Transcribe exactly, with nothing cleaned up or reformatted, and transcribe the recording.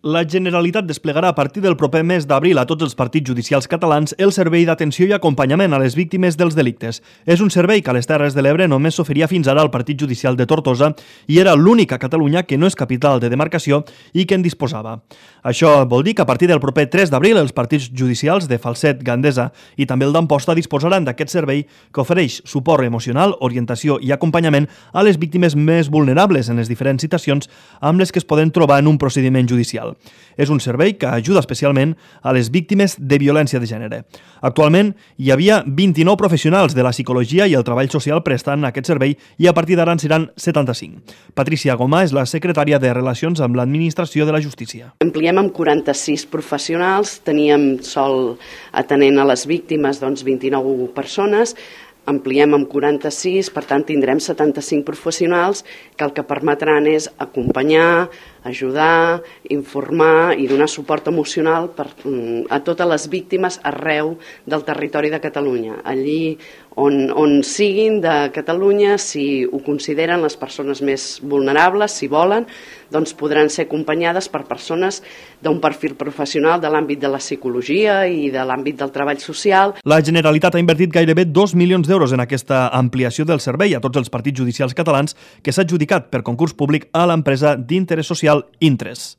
La Generalitat desplegarà a partir del proper mes d'abril a tots els partits judicials catalans el servei d'atenció i acompanyament a les víctimes dels delictes. És un servei que a les Terres de l'Ebre només s'oferia fins ara al Partit Judicial de Tortosa i era l'únic a Catalunya que no és capital de demarcació i que en disposava. Això vol dir que a partir del proper tres d'abril els partits judicials de Falset, Gandesa i també el d'Amposta disposaran d'aquest servei que ofereix suport emocional, orientació i acompanyament a les víctimes més vulnerables en les diferents situacions amb les que es poden trobar en un procediment judicial. És un servei que ajuda especialment a les víctimes de violència de gènere. Actualment hi havia vint-i-nou professionals de la psicologia i el treball social prestant aquest servei i a partir d'ara en seran setanta-cinc. Patricia Gomà és la secretària de Relacions amb l'Administració de la Justícia. Ampliem amb quaranta-sis professionals, teníem sol atenent a les víctimes doncs, vint-i-nou persones, ampliem amb quaranta-sis, per tant tindrem setanta-cinc professionals que el que permetran és acompanyar, ajudar, informar i donar suport emocional per, a totes les víctimes arreu del territori de Catalunya. Allí on, on siguin de Catalunya, si ho consideren les persones més vulnerables, si volen, doncs podran ser acompanyades per persones d'un perfil professional de l'àmbit de la psicologia i de l'àmbit del treball social. La Generalitat ha invertit gairebé dos milions d'euros en aquesta ampliació del servei a tots els partits judicials catalans que s'ha adjudicat per concurs públic a l'empresa d'interès social Intres.